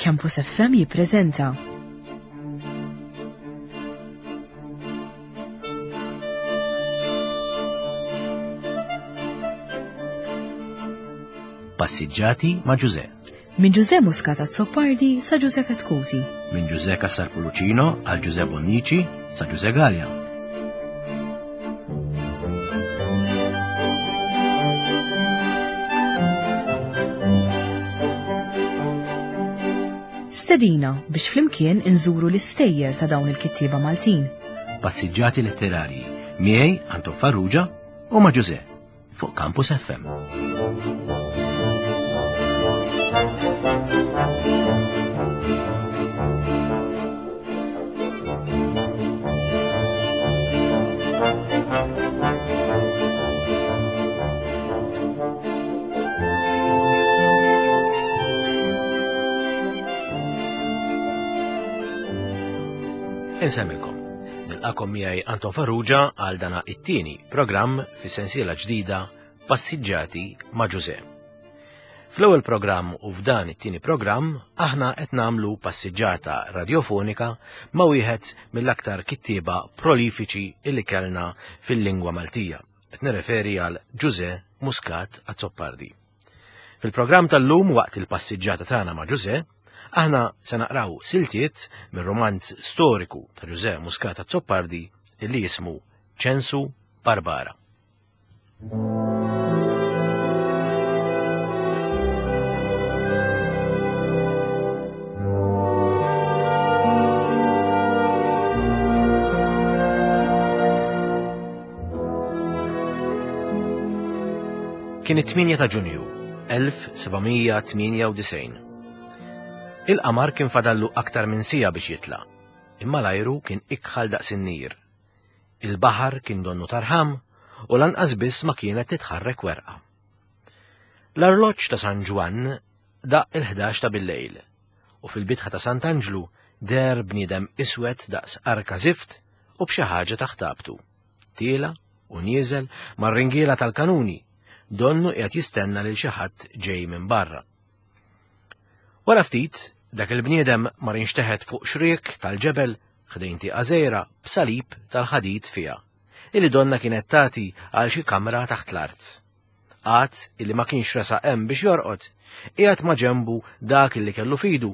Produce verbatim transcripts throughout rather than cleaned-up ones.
Campus F M jippreżenta Passiġġati ma' Ġuże. Minn Ġuże Muscat Azzopardi sa Ġuże Chetcuti. Minn Ġuże Cassar Pullicino għal Ġuże Bonnici sa Ġuże Galea. Stedina biex flimkien inżuru l-istejjer ta' dawn il-kittieba Maltin. Passiġġati letterarji miegħi Anton Farrugia u ma' Ġuże fuq Campus F M. Insemmilkom. Nilqakom miegħi Anton Farrugia għal dana it-tieni programm fis-sensiela ġdida Passiġġati ma' Ġuże. Fl-ewwel programm u f'dan it-tieni programm aħna qed nagħmlu passiġġata radjofonika ma' wieħed mill-aktar kittieba prolifiċi illi kellna fil-lingwa Maltija. Qed nirreferi għal Ġuże Muscat Azzopardi. Fil-programm tal-lum waqt il-passiġġata tagħna ma' Ġuże, aħna se naqraw siltiet mir-romanz storiku ta' Ġuże Muscat Azzopardi illi jismu Ċensu Barbara. Kien it-tmienja ta' Ġunju, elf seba' mija tmienja u disgħin. Il-qamar kien fadallu aktar minn sija biex jitla', imma l-ajru kien ikħal daqs in-nir. Il-baħar kien donnu tarħam u lanqas biss ma kienet titħarrek werqa. L-arloġġ ta' San Ġwann daq il-ħdax ta' bil-lejl u fil-bitħa ta' Sant'Anġlu der bniedem iswed daqs arka zift u b'xi ħaġa taħt tabtu. Tiela u nieżel mar-ringiela tal-kanuni, donnu qiegħed jistenna lil xi ħadd ġej minn barra. Wara ftit, dak il-bniedem mar inxteħet fuq xriek tal-ġebel ħdejn tieqa żgħira b'salib tal-ħadid fiha, illi donna kienet tagħti għal xi kamra taħt l-art. Għad illi ma kienx resaq hemm biex jorqod, qiegħed ma' ġembu dak illi kellu fidu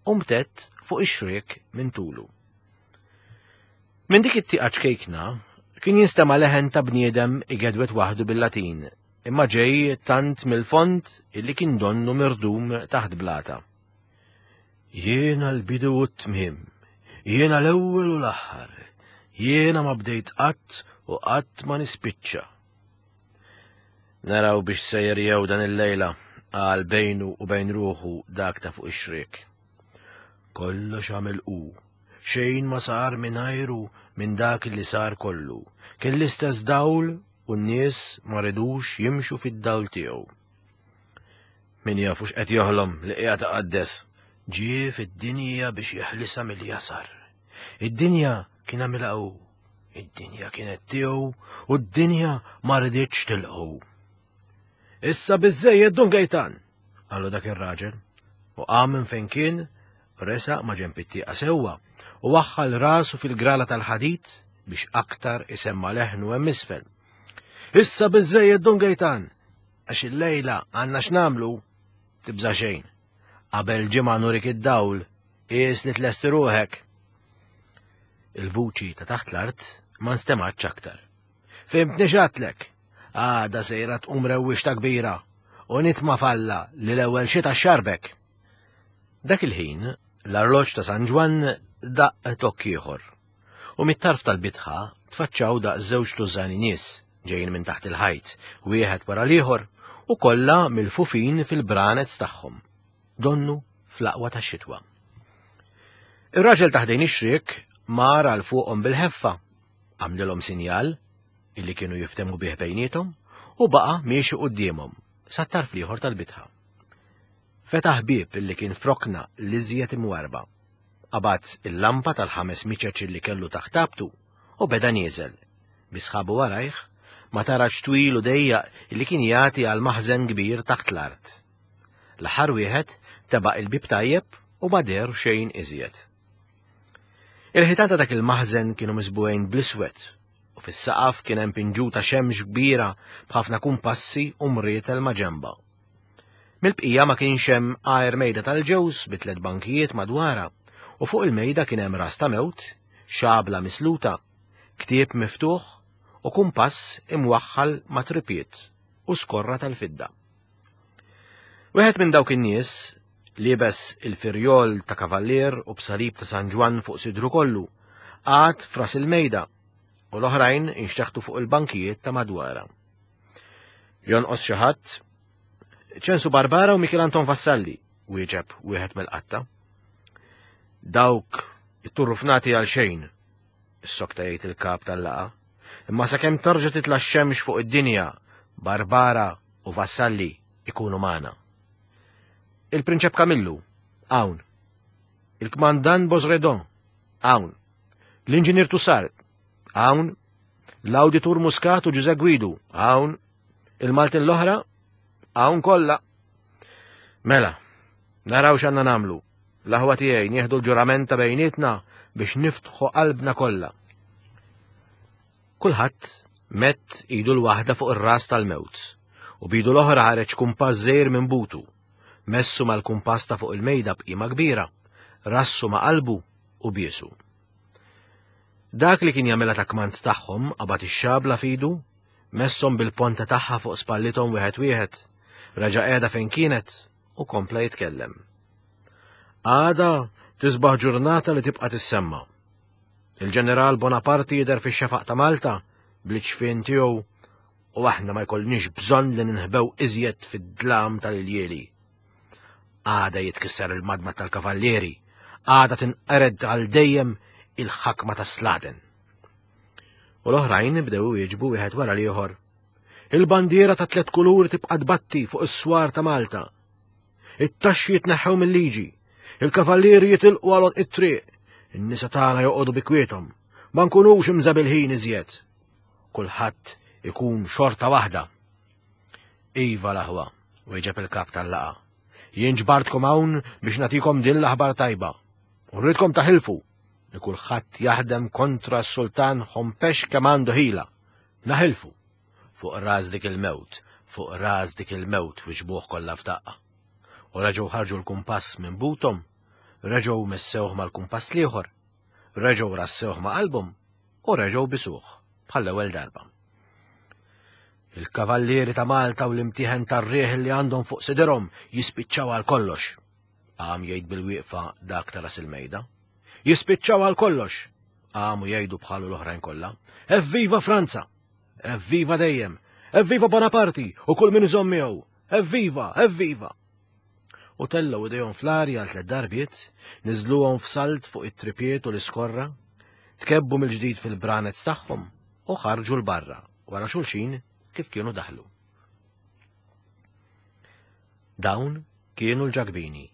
u mtett fuq ix-xriek minn tulu. Minn dik it-tieqa ċkejkna kien jinstema' leħen ta' bniedem igedwet waħdu bil-Latin, imma ġej tant mill-fond illi kien donnu mirdum taħt blata. Jiena l-bidu u t-tmiem, jiena l-ewwel u l-aħħar, jiena ma bdejt qatt u qatt ma nispiċċa. Naraw biex sejjer jew dan il-lejla, qal bejnu u bejn ruħu dak ta' fuq ix-xriek. Kollox għamel hu, xejn ma sar mingħajru minn dak li sar kollu, kien l-istess dawl u n-nies ma ridux jimxu fid-dawl tiegħu. Min jafux qed joħlom li qiegħed iqaddes, ġie fid-dinja biex jeħlisha mill-jasar. Id-dinja kien għamilha hu, id-dinja kienet tiegħu u d-dinja ma riditx tilqgħu. Issa biżżejjed Dun Gejtan, qalu dak ir-raġel, u qam minn fejn kien, resaq ma' ġenb it-tieqa sewwa u waħħal rasu fil-grala tal-ħadid biex aktar isemma leħnu hemm isfel. Issa biżżejjed Dun Gejtan, għax il-lejla għandna x'nagħmlu, tibża' xejn. Qabel ġimgħa nurik id-dawl, qies li tlesti ruħek. Il-vuċi ta' taħt l-art ma nstemgħatx aktar. Fimtni x'għedtlek, għada sejra tqum rewwixta kbira u nitma' falla li l-ewwel xita xarbek. Dak il-ħin, l-arloġġ ta' San Ġwann daq tokk ieħor u mit-tarf tal-bitħa tfaċċaw daq żewġ tużani nies ġejjin minn taħt il-ħajt, wieħed wara l-ieħor u kollha mill-fufin fil-branez tagħhom, donnu fl-aqwa tax-xitwa. Ir-raġel ta' ħdejn ix-xriek mar għal fuqhom bil-ħeffa, għamlilhom sinjal illi kienu jiftehmu bih bejniethom u baqa' miexi quddiemhom sat-tarf l-ieħor tal-bitħa. Fetaħ bieb illi kien frokna l-iżjed imwarba. Qabad il-lampa tal-ħames miċeċ illi kellu taħt tabtu u beda nieżel. Bi sħabu warajh ma tarax twil u dejjaq illi kien jagħti għal maħżen kbir taħt l-art. L-aħħar wieħed tebaq il-bib tajjeb u ma deher xejn iżjed. Il-ħitan ta' dak il-maħżen kienu miżbugħin bl-iswed u fis-saqaf kien hemm pinġuta xemx kbira b'ħafna kumpassi u mrietel ma' ġenba. Mill-bqija ma kienx hemm għajr mejda tal-ġewż bi tliet bankijiet madwarha u fuq il-mejda kien hemm ras ta' mewt, xabla misluta, ktieb miftuħ u kumpass imwaħħal ma' tripiet u skorra tal-fidda. Wieħed minn dawk in-nies liebes il-firjol ta' kavallier u b'salib ta' San Ġwann fuq sidru kollu, qagħad f'ras il-mejda u l-oħrajn inxteħtu fuq il-bankijiet ta' madwarha. Jonqos xi ħadd? Ċensu Barbara u Mikiel Anton Vassalli, wieġeb wieħed mill-qatta. Dawk it-turrufnati għal xejn, issokta jgħid il-kap tal-laqgħa, imma sakemm terġa' titla' x-xemx fuq id-dinja, Barbara u Vassalli ikunu magħna. Il-Prinċep Kamillu, hawn. Il-Kmandan Bosredon, hawn. L-Inġinier Tussard, hawn. L-Awditur Muscat u Ġuże Guidu, hawn. Il-Maltin l-oħra, hawn kollha. Mela, naraw x'għandna nagħmlu. L-aħwa tiegħi nieħdu l-ġurament ta' bejnietna biex niftħu qalbna kollha. Kulħadd mett idu l-waħda fuq ir-ras tal-mewt u bidu l-oħra ħareġ kumpass żgħir minn butu. Messu mal-kumpass ta' fuq il-mejda b'qima kbira, rassu ma' qalbu u biesu. Dak li kien jagħmilha ta' kmand tagħhom qabad ix-xabla f'idu, messhom bil-ponta tagħha fuq spallithom wieħed wieħed, reġa' qiegħda fejn kienet u kompla jitkellem. Għada tisbaħ ġurnata li tibqa' tissemma. Il-ġeneral Bonaparte jidher fix-xefaq ta' Malta bl-iċfien tiegħu u aħna ma jkollniex bżonn li ninħbew iżjed fid-dlam tal-iljieli. Għada jitkisser il-madma tal-kavallieri, għada tinqered għal dejjem il-ħakma ta' Sladen. U l-oħrajn bdew jieġbu wieħed wara l-ieħor. Il-bandiera ta' tliet kuluri tibqa' tbatti fuq is-swar ta' Malta. It-taxxi jitneħħew mill-liġi, il-kavallieri jitilqu għal it-triq, in-nisa tagħna joqogħdu bi kwiethom, ma nkunux imżabilħin iżjed. Kulħadd ikun xorta waħda. Iva l-aħwa, wieġeb il-kap tal-laqgħa. Jien ġbartkom hawn biex nagħtikom din l-aħbar tajba. U rridkom taħilfu li kulħadd jaħdem kontra s-sultan Ħompex kemm għandu ħila. Naħilfu. Fuq ras dik il-mewt, fuq ras dik il-mewt wiġbuh kollha f'daqqa. U reġgħu ħarġu l-kumpass minn buthom, reġgħu messewh mal-kumpass l-ieħor, reġgħu rassewh ma' qalbhom u reġgħu bisuh bħall-ewwel darba. Il-kavallieri ta' Malta u l-imtieħen tar-riħ li għandhom fuq sidirhom jispiċċaw għal kollox. Qam jgħid bil-wieqfa dak ta' ras il-mejda. Jispiċċaw għal kollox. Qamu jgħidu bħalu l-oħrajn kollha. Evviva Franza! Evviva dejjem! Evviva Bonaparte u kull min iżomm miegħu! Evviva! Evviva! U tellgħu idejhom fl-arja għal tliet darbiet, niżluhom f'salt fuq it-tripiet u l-iskorra, tkebbu mill-ġdid fil-branez tagħhom u ħarġu 'l barra wara xulxin kif kienu daħlu. Dawn kienu l-Ġakbini,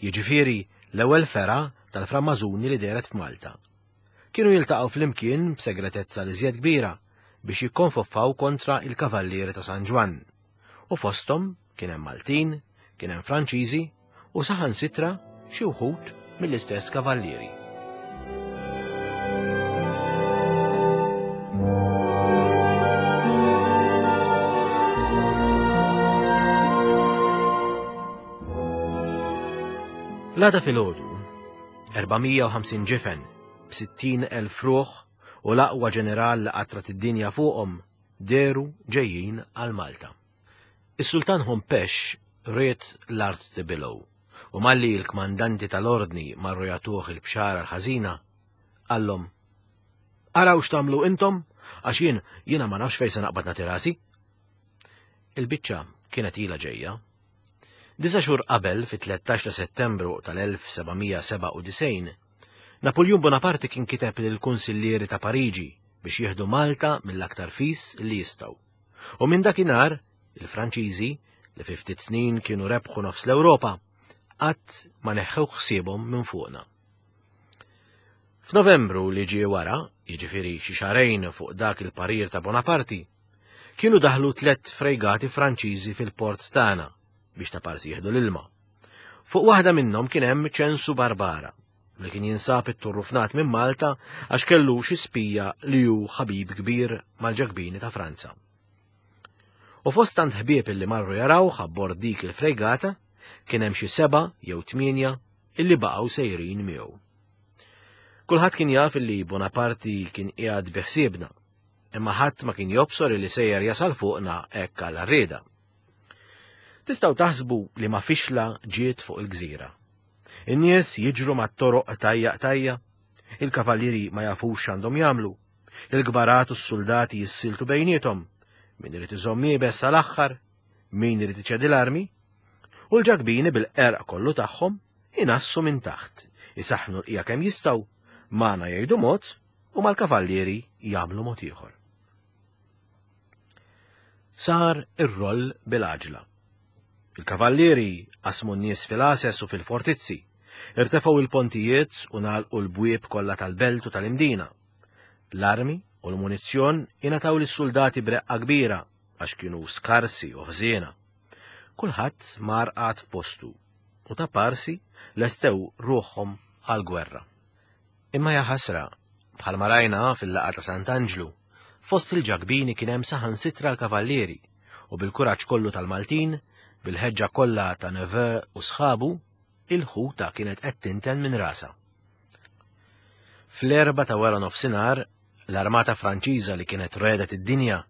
jiġifieri l-ewwel fergħa tal-Frammażuni li dehret f'Malta. Kienu jiltaqgħu flimkien b'segretezza li żjed kbira biex jikkonfoffaw kontra il-Kavallieri ta' San Ġwann. U fosthom kien hemm Maltin, kien hemm Franċiżi u saħansitra xi wħud mill-istess kavallieri. L-għada filgħodu, erba' mija u ħamsin ġifen b'sittin elf ruħ u l-aqwa ġeneral li qatrat id-dinja fuqhom dehru ġejjin għal Malta. Is-Sultan Ħompex ried l-art tibilgħu u malli l-kmandanti tal-ordni marru jagħtuh il-bxara l-ħażina, qallhom: Araw x'tagħmlu intom, għax jien jiena ma nafx fejn se naqbad nagħti rasi. Il-biċċa kienet ilha ġejja. Disa' xhur qabel, fit-tlettax ta' Settembru tal-elf seba' mija seba' u disgħin, Napoleon Bonaparte kien kiteb lill-kunsillieri ta' Pariġi biex jieħdu Malta mill-aktar fis li jistgħu. U minn dakinhar, il-Franċiżi, li fi ftit snin kienu rebħu nofs l-Ewropa, qatt ma neħħew ħsiebhom minn fuqna. F'Novembru li ġie wara, jiġifieri xi xahrejn fuq dak il-parir ta' Bonaparte, kienu daħlu tliet frejgati Franċiżi fil-port tagħna biex ta' parsi jieħdu l-ilma. Fuq waħda minnhom kien hemm Ċensu Barbara, li kien jinsab it-turrufnat minn Malta għax kellu xi spija li hu ħabib kbir mal-Ġakbini ta' Franza. U fost tant ħbieb illi marru jarawh abbord dik il-frejgata kien hemm xi seba' jew tmienja illi baqgħu sejrin miegħu. Kulħadd kien jaf illi Bonaparti kien qiegħed biħsiebna, imma ħadd ma kien jobsor illi sejjer jasal fuqna hekk għal rieda. Tistgħu taħsbu li ma fixla ġiet fuq il-gżira. In-nies jiġru mat-toroq tajja tajja, il-kavallieri ma jafux x'għandhom jagħmlu, il-kbarat u s-soldati jissiltu bejniethom, min irid iżomm iebes sal-aħħar, min irid iċedi l-armi, u l-Ġakbini bil-qerq kollu tagħhom inassu minn taħt, isaħħnu l-qija kemm jistgħu, magħna jgħidu mod u mal-kavallieri jagħmlu mod ieħor. Sar ir-roll bil-għaġla. Il-kavallieri qasmu n-nies fil-għases u fil-fortizzi, irtefgħu il-pontijiet u nagħlqu l-bwieb kollha tal-belt u tal-imdina. L-armi u l-munizzjon ingħataw lis-soldati b'reqqa kbira għax kienu skarsi u ħżiena. Kulħadd mar qagħad f'postu u ta' parsi lestew ruħhom għall-gwerra. Imma ja ħasra, bħalma rajna fil-laqgħa ta' Sant'Anġlu, fost il-Ġakbini kien hemm saħansitra l-kavallieri u bil-kuraġġ kollu tal-Maltin, bil-ħeġġa kollha ta' Neveu u sħabu, il-ħuta kienet qed tinten minn rasa. Fl-erba ta' wara nofsinhar, l-armata Franċiża li kienet redet id-dinja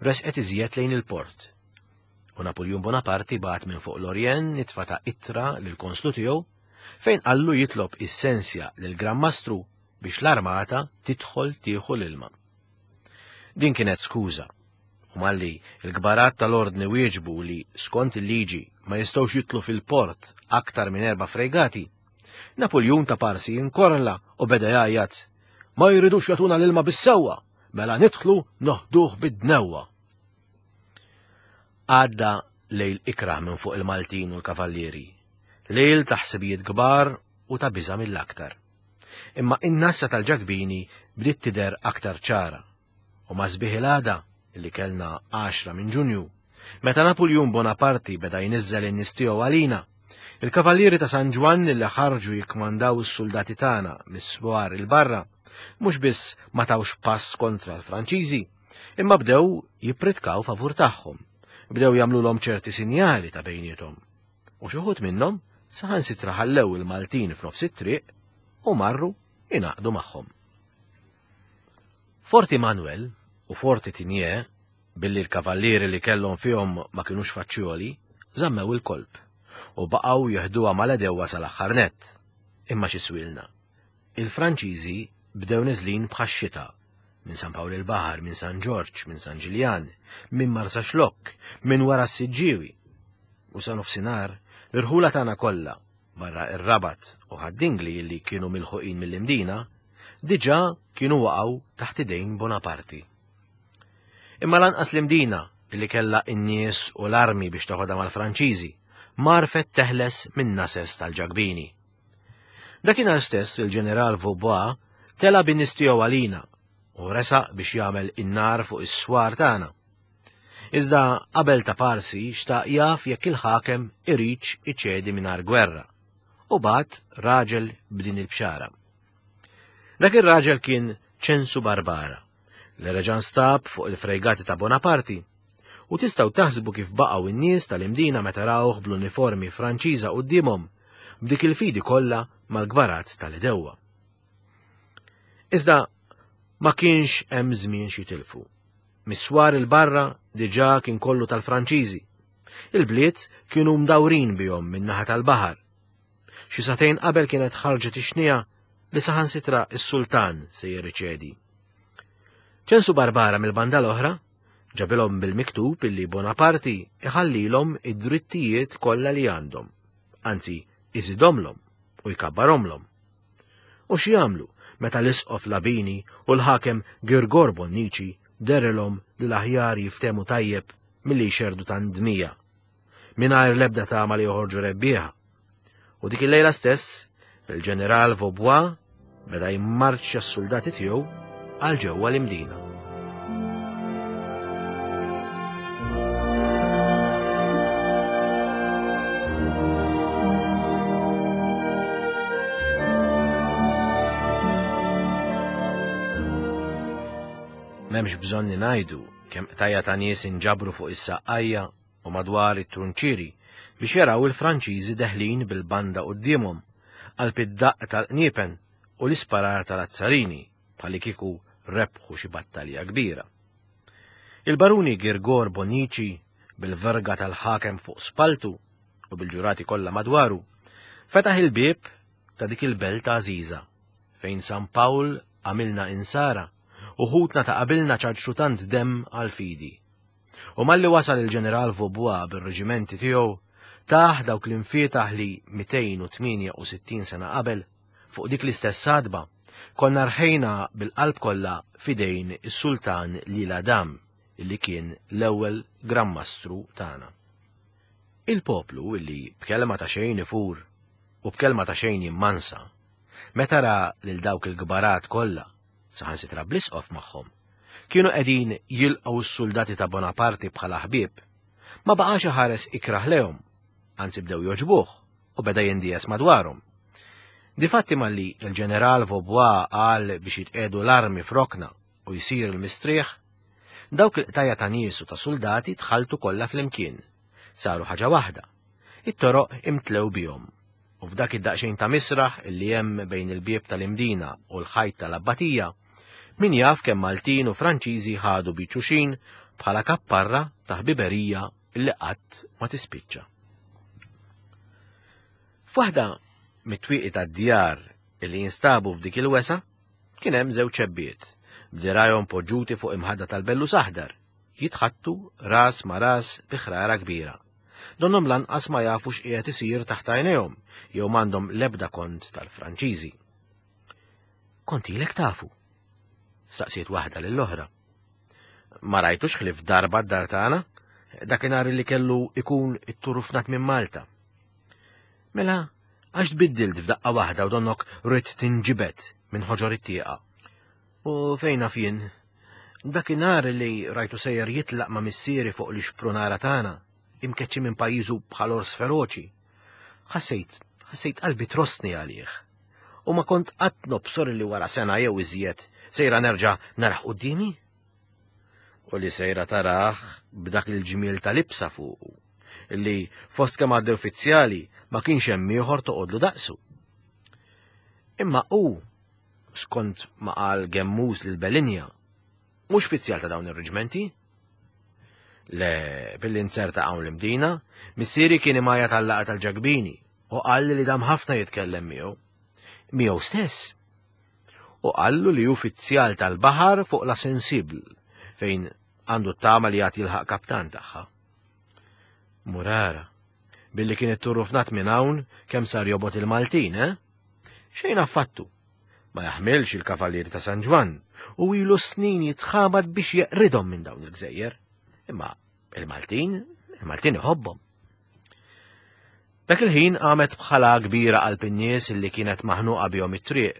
resqet iżjed lejn il-port. U Napoleon Bonaparti bagħat minn fuq l-Orjen nitfa ta' ittra lill-konslu tiegħu fejn qallu jitlob is-sensja lill-Gran Mastru biex l-armata tidħol tieħu l-ilma. Din kienet skuża, u malli il-kbarat tal-ordni wieġbu li skont il-liġi ma jistgħux jitlu fil-port aktar minn erba' fregati, Napoleon ta' parsi inkorla u beda jgħajjat, ma jridux jagħtuna l-ilma bis-sewwa, mela nidħlu noħduh bid-dnewwa. Għadda lejl ikrah minn fuq il-Maltin u l-kavallieri, lejl ta' ħsibijiet kbar u ta' biża' mill-aktar. Imma in-nassa tal-Ġakbini bdiet tidher aktar ċara, u ma' sbieħ il-għada li kellna għaxra minn Ġunju, meta Napoleon Bonaparti beda jniżżel in-nies tiegħu għalina, il-kavallieri ta' San Ġwann li ħarġu jikkmandaw is-soldati tagħna mis-swar il-barra, mhux biss ma tawx pass kontra l-Franċiżi, imma bdew jippritkaw favur tagħhom, bdew jagħmluhom ċerti sinjali ta' bejniethom. U xi wħud minnhom saħansitra ħallew il-Maltin f'nofs it-triq u marru ingħaqdu magħhom. Forti Manuel u Forti Tinier, billi l-kavallieri li kellhom fihom ma kinux faċċjoli, żammew il-kolb u baqgħu jeħduha mal-edewwa sal-aħħar nett. Imma xi swilna. Il-Franċiżi bdew neżlin bħax-xita minn San Pawl il-Baħar, minn San Ġorġ, minn San Ġiljan, minn Marsaxlokk, minn wara s-Siġġiewi. U sa nofsinhar, l-irħula tagħna kollha, barra ir-Rabat u Ħad-Dingli li kienu milħuqin mill-Imdina, diġà kienu waqgħu taħt idejn Bonaparti. Imma lanqas l-Imdina li kellha n-nies u l-armi biex toħodha mal-Franċiżi, marfet teħles minn nases tal-Ġakbini. Dakinhar stess il-ġeneral Vaubois tela' bin-nies tiegħu għalina u resaq biex jagħmel in-nar fuq is-swar tagħna. Iżda qabel ta' parsi xtaq jaf jekk il-ħakem iridx iċedi mingħajr gwerra, u bagħat raġel b'din il-bxara. Dak ir-raġel kien Ċensu Barbara, li reġa' nstab fuq il-frejgati ta' Bonaparti, u tistgħu taħsbu kif baqgħu n-nies tal-Imdina meta rawh bl-uniformi Franċiża quddiemhom b'dik il-fidi kollha mal-gbarat tal-idewwa. Iżda ma kienx hemm żmien xi tilfu. Miswar il-barra diġà kien kollu tal-Franċiżi. Il-bliet kienu mdawrin bihom min-naħa tal-baħar. Xi sagħtejn qabel kienet ħarġet ix-xnija li saħansitra s-sultan se jirriċedi. Ċensu Barbara mill-banda l-oħra ġabilhom bil-miktub illi Bonaparti iħallilhom id-drittijiet kollha li għandhom, anzi iżidhomlhom u jkabbarhomlhom. U xi jagħmlu meta l-isqof Labini u l-ħakem Girgor Bonnici derilhom li l-aħjar jiftemu tajjeb milli jxerdu tandmija, mingħajr l-ebda tama li joħorġu rebbieħa. U dik il-lejla stess, il-ġeneral Vaubois beda jimmarċja s-soldati tiegħu għal ġewwa l-Imdina. M'hemmx bżonn ngħidu kemm qtajja ta' nies inġabru fuq is-saqqajja u madwar it-trunċieri biex jaraw il-Franċiżi deħlin bil-banda quddiemhom qalb id-daqq tal-qniepen u l-isparar tal-azzarini bħali kieku rebħu xi battalja kbira. Il-baruni Girgor Bonici bil-verga tal-ħakem fuq spaltu u bil-ġurati kollha madwaru fetaħ il-bieb ta' dik il-belt għażiża fejn San Pawl għamilna insara u ħutna ta' qabilna ċarċru tant demm għal-fidi. U malli wasal il-ġeneral Vaubois bir-reġimenti tiegħu taħ dawk l-infietaħ li mitejn u tmienja u sittin sena qabel fuq dik l-istess sadba konna rħejna bil-qalb kollha fidejn is-sultan Lila Dam illi kien l-ewwel Gran Mastru tagħna. Il-poplu illi b'kelma ta' xejn ifur u b'kelma ta' xejn jimmansa, meta ra lil dawk il-kbarat kollha, saħansitra bl-isqof magħhom, kienu qegħdin jilqgħu s-soldati ta' Bonaparte bħala ħbieb, ma baqax iħares ikrah lehom, anzi bdew joġbuh u beda jindies madwarhom. Difatti malli il-ġeneral Vaubois qal biex jitqedu l-armi f'rokna u jsir il-mistrieħ, dawk il-qtajja ta' nies u ta' soldati tħaltu kollha flimkien, saru ħaġa waħda. It-toroq imtlew bihom, u f'dak id-daqsxejn ta' misraħ illi hemm bejn il-bieb tal-Imdina u l-ħajt tal-Abbatija, min jaf kemm Maltin u Franċiżi ħadu biċuxin bħala kapparra ta' ħbiberija illi qatt ma tispiċċa. F'waħda mit-twieqi tad-djar illi jinstabu f'dik il-wesa, kien hemm żewġ ċebbiet, b'dirajhom poġġuti fuq imħadda tal-bellus aħdar, jitħattu ras ma' ras bi ħrara kbira. Donnhom lanqas ma jafu x'qiegħed isir taħt għajnejhom jew m'għandhom l-ebda kont tal-Franċiżi. Kont ilek tafu? Saqsiet waħda lill-oħra. Ma rajtux ħlief darba d-dar tagħna, dakinhar li kellu ikun it-turufnat minn Malta. Mela, għax tbiddilt f'daqqa waħda u donnok rrid tinġibed minn ħoġor it-tieqa. U fejn naf jien? Dakinhar li rajtu sejjer jitlaq ma' missieri fuq l-ixprunara tagħna, imkeċċi minn pajjiżu bħal ors feroċi. Ħassejt, ħassejt qalbi trostni għalih. U ma kont qatt nobsor li wara sena jew iżjed sejra nerġa' naraħ quddiemi. U li sejra taraħ b'dak il-ġmiel tal-ibsa fuqu, illi fost kemm għaddew uffiċjali ma kienx hemm ieħor toqgħodlu daqsu. Imma hu, skont ma qal Gemmus lil Belinja, mhux uffiċjal ta' dawn ir-reġimenti. Le, billi nserta hawn l-Imdina, missieri kien imajja tal-laqgħa tal-Ġakbini u qal li dam ħafna jitkellem miegħu. Miegħu stess. U qallu li uffiċjal tal-baħar fuq la Sensible, fejn għandu t-tama li jagħti jilħaq kaptan tagħha. Murara, billi kien it-turrufnat minn hawn kemm sar jobot il-Maltin, eh? Xejn affattu. Ma jaħmilx il-Kavallieri ta' San Ġwann u ilu snin jitħabat biex jeqridhom minn dawn il-gżejjer. Imma il-Maltin, il-Maltin iħobbhom. Dak il-ħin qamet bħala kbira qalb in-nies illi kienet maħnuqa bihom it-triq,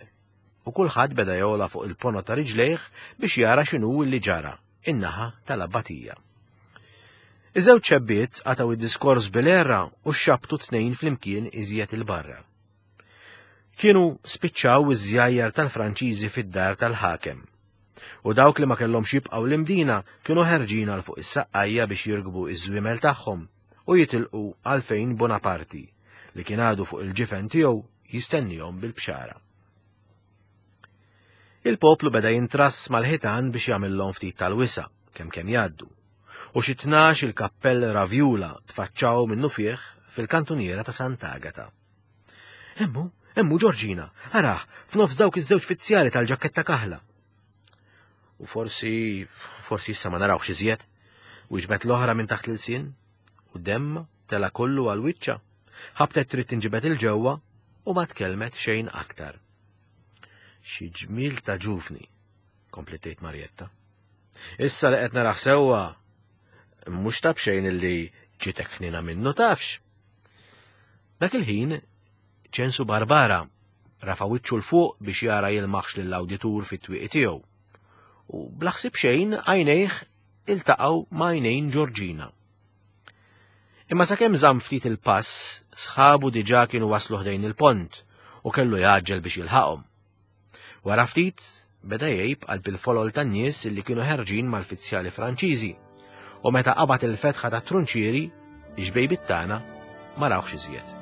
u kulħadd beda jola fuq il-pono ta' riġlejh biex jara x'inhu li ġara in-naħa tal-Abbatija. Iż-żewġ ċebbiet qatgħu id-diskors bil-erra u xabtu tnejn flimkien iżjed il-barra. Kienu spiċċaw iż-żjajjar tal-Franċiżi fid-dar tal-ħakem. U dawk li ma kellhomx jibqgħu l-Imdina kienu ħerġin għal fuq is-saqqajja biex jirkbu iż-żwiemel tagħhom u jitilqu għal fejn Bonaparti, li kien għadu fuq il-ġifen tiegħu jistennihom bil-bxara. Il-poplu beda jintrass mal-ħitan biex jagħmilhom ftit tal-wisa kemm kemm jgħaddu, u xi tnax il-kappell ravjula tfaċċaw minnu fih fil-kantuniera ta' Sant'Agata. Emmu, emmu Ġorġina, araħ, f'nofs dawk iż-żewġ fizzjali tal-ġaketta kaħla. U forsi, forsi issa ma narawx iżjed, wieġbet l-oħra minn taħt l-ilsien, u demma tela kollu għal wiċċa, ħabtet trid tinġibed il-ġewwa u ma tkellmet xejn aktar. Xi ġmiel ta' ġuvni, kompliet tgħid Marjetta. Issa li qed naraħ sewwa, mhux ta' b'xejn illi ġitek ħnina minnu tafx. Dak il-ħin Ċensu Barbara rafa' wiċċu l fuq biex jara jilmaħx lill-awditur fit-twieqi tiegħu. U bla ħsieb xejn għajnejh iltaqgħu ma' għajnejn Ġorġina. Imma sakemm żamm ftit il-pass, sħabu diġà kienu waslu ħdejn il-pont u kellu jaġġel biex jilħaqhom. Wara ftit beda jgħib qalb il-folol tan-nies li kienu ħerġin mal-fizzjali Franċiżi, u meta qabad il-fetħa ta' trunċieri, ix-xbejbiet tagħna ma rawhx iżjed.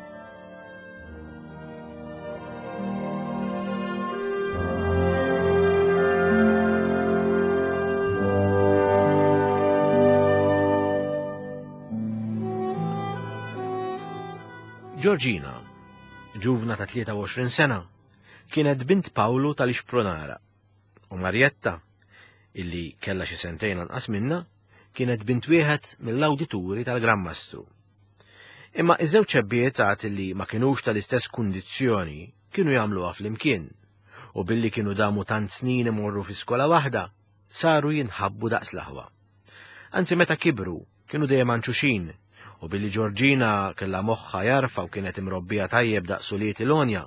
Georgina, ġuvna ta' tlieta u għoxrin sena, kienet bint Pawlu tal-Ixpronara, u Marjetta, illi kellha xi sentejn anqas minna, kienet bint wieħed mill-awdituri tal-Gran Mastru. Imma iż-żewġ ċebbiet għad li ma kinux tal-istess kundizzjoni kienu jagħmluha flimkien, u billi kienu damu tant snin imorru fi skola waħda, saru jinħabbu daqs l-aħwa. Anzi meta kibru kienu dejjem anċuxin, u billi Georgina kellha moħħa jarfa u kienet imrobbija tajjeb daqs uliet il-Onja,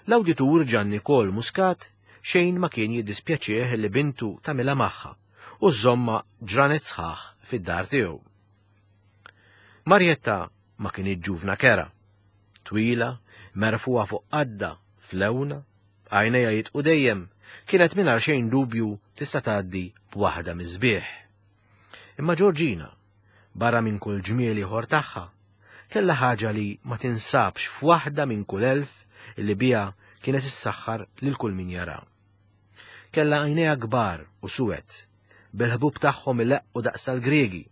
l-awditur Ġanni Kol Muscat xejn ma kien jiddispjaċih li bintu tagħmilha magħha u żomma ġranet sħaħ fid-dar tiegħu. Marjetta ma kienet ġuvna kera, twila, merfuha fuq qadda, flewna, għajnejha jitqu dejjem, kienet mingħajr xejn dubju tista' tgħaddi b'waħda miż-sbieħ. Imma Georgina, barra minn kull ġmiel ieħor tagħha, kellha ħaġa li ma tinsabx f'waħda minn kull elf illi biha kienet issaħħar lil kull min jara. Kellha għajnejha kbar u suwed, bil-ħbub tagħhom ileqqu daqs tal-Griegi,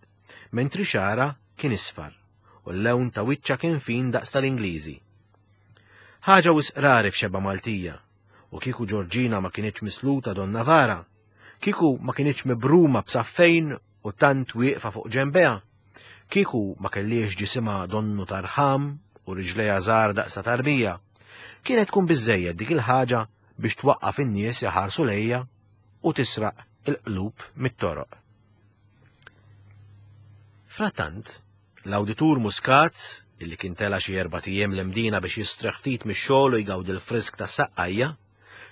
mentri xara kien isfar u l-lewn ta' wiċċa kien fin daqs tal-Ingliżi. Ħaġa wisq rari f'xebba Maltija, u kieku Georgina ma kienx misluta Donna Vara, kieku ma kienx mibruma b'saffejn u tant wieqfa fuq ġembeha, kieku ma kelliex ġisimha donnu tarħam u riġlejha żgħar daqs ta' tarbija, kienet tkun biżżejjed dik il-ħaġa biex twaqqaf in-nies iħarsu lejja u tisraq il-qlub mit-toroq. Frattant, l-awditur Muscat, illi kien tela xi erbat ijiem l-Imdina biex jistreħ ftit mix-xogħol u jgawdi l-frisk tas-saqqajja,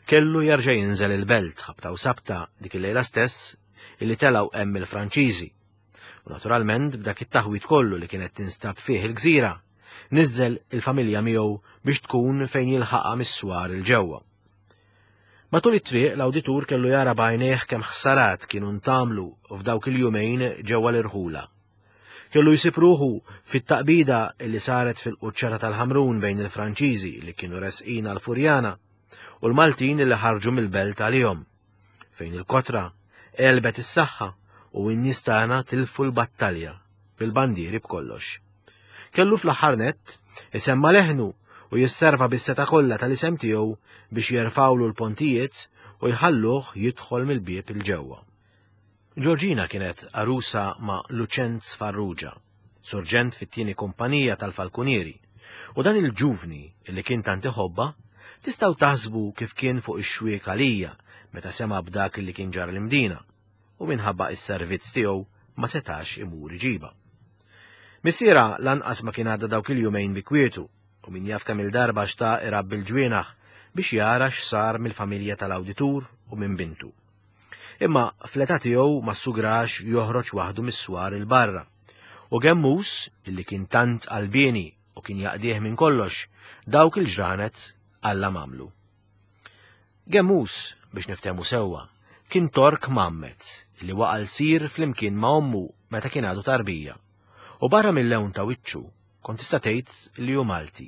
kellu jerġa' jinżel il-belt ħabta u sabta dik il-lejla stess illi telgħu hemm il-Franċiżi. U naturalment b'dak it-taħwit kollu li kienet tinstab fih il-gżira, niżel il-familja miegħu biex tkun fejn jilħaqha mis-swar il-ġewwa. Matul it-triq l-awditur kellu jara b'għajnejh kemm ħsarat kienu ntamlu f'dawk il-jumejn ġewwa l-irħula. Kellu jsib ruħu fit-taqbida li saret fil-quċċata tal-Ħamrun bejn il-Franċiżi li kienu resqin għal-Furjana u l-Maltin li ħarġu mill-belt għalihom, fejn il-kotra għelbet is-saħħa u n-nies tagħna tilfu l-battalja bil-bandieri b'kollox. Kellu fl-aħħar nett isemma leħnu u jisserva bis-seta kollha tal-isem tiegħu biex jerfawlu l-pontijiet u jħalluh jidħol mill-bieb il-ġewwa. Georgina kienet arusa ma' Lucenz Farrugia, surġent fit-tieni kumpanija tal-Falkunieri, u dan il-ġuvni li kien tant iħobba tistgħu taħsbu kif kien fuq ix-xwiek għalija meta sema' b'dak li kien ġar l-Imdina, u minħabba is-servizz tiegħu ma setax imur iġiba. Missiera lanqas ma kien għadda dawk il-jumejn bi kwietu, u min jaf kemm il-darba xtaq irabbi l-ġwienaħ biex jara x'sar mill-familja tal-awditur u minn bintu. Imma fl-età tiegħu ma ssugrax joħroġ waħdu mis-swar il-barra. U Gemmus, illi kien tant qalbieni u kien jaqdih minn kollox, dawk il-ġranet Alla mamlu. Gemmus, biex niftehmu sewwa, kien tork mammet li waqa' l-sir flimkien ma' ommu meta kien għadu tarbija. U barra mill-lewn ta' wiċċu kont tista' tgħid li hu Malti.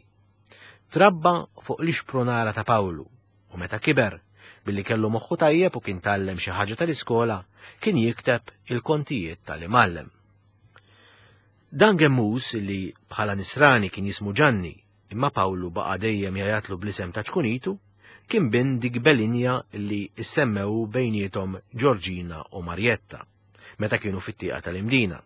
Trabba fuq l-ixpronara ta' Pawlu u meta kiber, billi kellu moħħu tajjeb u kien tgħallem xi ħaġa tal-iskola, kien jikteb il-kontijiet tal-imgħallem. Dan Gemmus li bħala nisrani kien jismu Ġanni, imma Pawlu baqa' dejjem jgħajatlu bl-isem ta' ċkunitu, kien bin dik Belinja li issemmew bejniethom Georgina u Marjetta, meta kienu fit-tieqa tal-Imdina.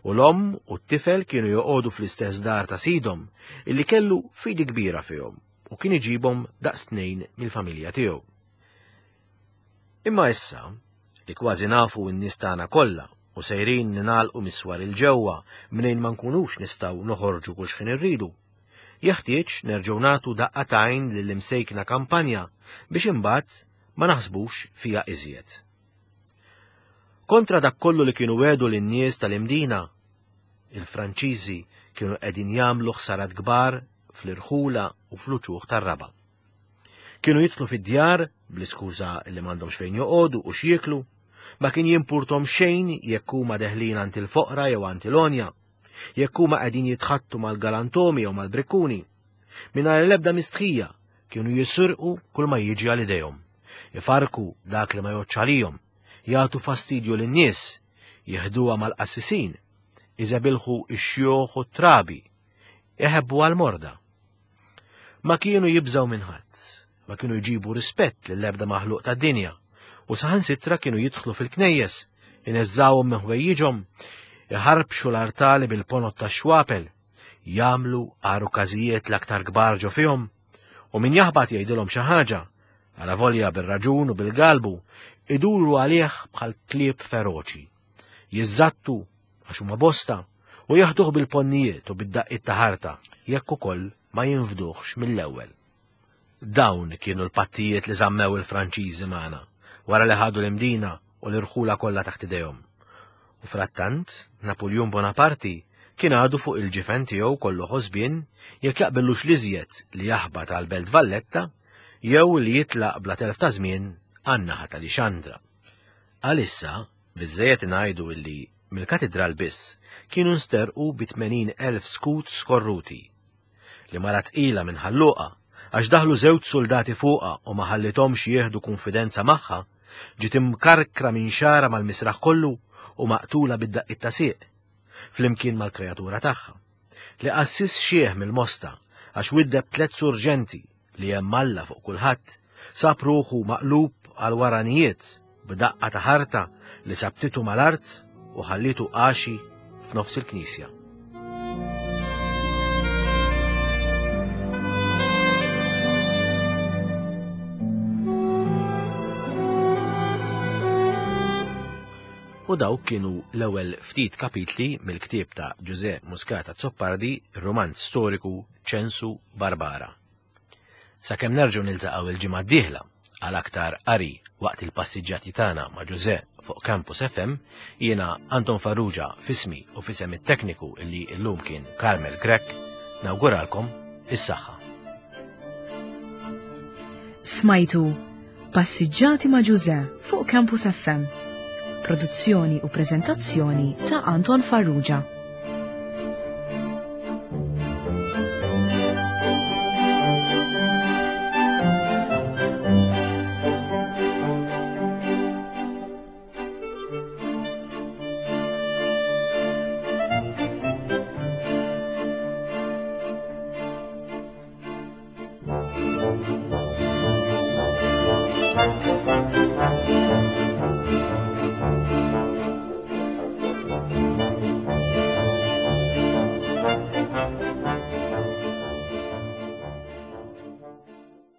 U l-omm u t-tifel kienu joqogħdu fl-istess dar ta' sidhom illi kellu fidi kbira fihom u kien iġibhom daqs tnejn mill-familja tiegħu. Imma issa, li kważi nafu n-nies tagħna kollha u sejrin ninalqu miswar il-ġewwa mnejn ma nkunux nistgħu noħorġu kull x'ħin irridu, jeħtieġ nerġgħu nagħtu daqqa t'għajn lill-imsejkna kampanja biex imbagħad ma naħsbux fiha iżjed. Kontra dak kollu li kienu għedu lin-nies tal-Imdina, il-Franċiżi kienu qegħdin jagħmlu ħsarat kbar fl-irħula u fl-uċuħ tar-raba. Kienu jidħlu fid-djar bl-iskuża li m'għandhomx fejn joqogħdu u x'jieklu, ma kien jimpurtom xejn jekk huma deħlin għand il-foqra jew għand il-onja, jekk huma qegħdin jitħattu mal-galantomi jew mal-brikkuni. Mingħajr l-ebda mistħija kienu jisirqu kull ma jiġi għal idejhom, ifarku dak li ma jgħodx għalihom, jagħtu fastidju lin-nies, jeħduha mal-qassisin, iżebilħu x-xjuħ u t-trabi, iħebbu għal-morda. Ma kienu jibżgħu minn ħadd, ma kienu jġibu rispett lill-ebda maħluq tad-dinja, u saħansitra kienu jidħlu fil-knejjes, ineżżawhom minn ħwejjiġhom, iħarbxu l-artali bil-ponot tax-xwapel, jagħmlu għarukażijiet l-aktar kbar ġo fihom, u min jaħbat jgħidilhom xi ħaġa, alavolja bir-raġun u bil-galbu, iduru għalih bħal klieb feroċi. Jiżżattu għax huma bosta u jaħduh bil-ponnijiet u bid-daqqiet ta' ħarta, jekk ukoll ma jinfduhx mill-ewwel. Dawn kienu l-pattijiet li żammew il-Franċiżi magħna, wara li ħadu l-Imdina u l-irħula kollha taħt idejhom. U frattant, Napoleon Bonaparte kien għadu fuq il-ġifen tiegħu kollu ħosbien jekk jaqbillux l-iżjed li jaħbat għal Belt Valletta jew li jitlaq bla telf ta' żmien għan-naħa ta' Lixandra. Għalissa, biżżejjed ngħidu illi mill-katidral biss kienu nsterqu bi tmenin elf skut skorruti. Li mara tqila minn ħalluqa għax daħlu żewġ soldati fuqha u ma ħallithomx jieħdu konfidenza magħha, ġiet imkarkra minn xara mal-misraħ kollu u maqtula bid-daqqiet ta' sieq, flimkien mal-kreatura tagħha. Li qassis xieħ mill-Mosta għax widdeb tliet surġenti li hemm Alla fuq kulħadd, sab ruħu maqlub għal waranijiet b'daqqa ta' ħarta li sabtitu mal-art u ħallitu għaxi f'nofs il-knisja. U dawk kienu l-ewwel ftit kapitli mill-ktieb ta' Ġużè Muscat Azzopardi, ir-romanz storiku Ċensu Barbara. Sakemm nerġgħu niltaqgħu il-ġimgħa d-dieħla għal aktar qari waqt il-passiġġati tagħna ma' Ġużè fuq Campus F M, jiena Anton Farrugia fismi u fisem it-tekniku illi llum kien Carmel Grech, nawguralkom is-saħħa. Smajtu Passiġġati ma' Ġużè fuq Campus F M. Produzzjoni u preżentazzjoni ta' Anton Farrugia.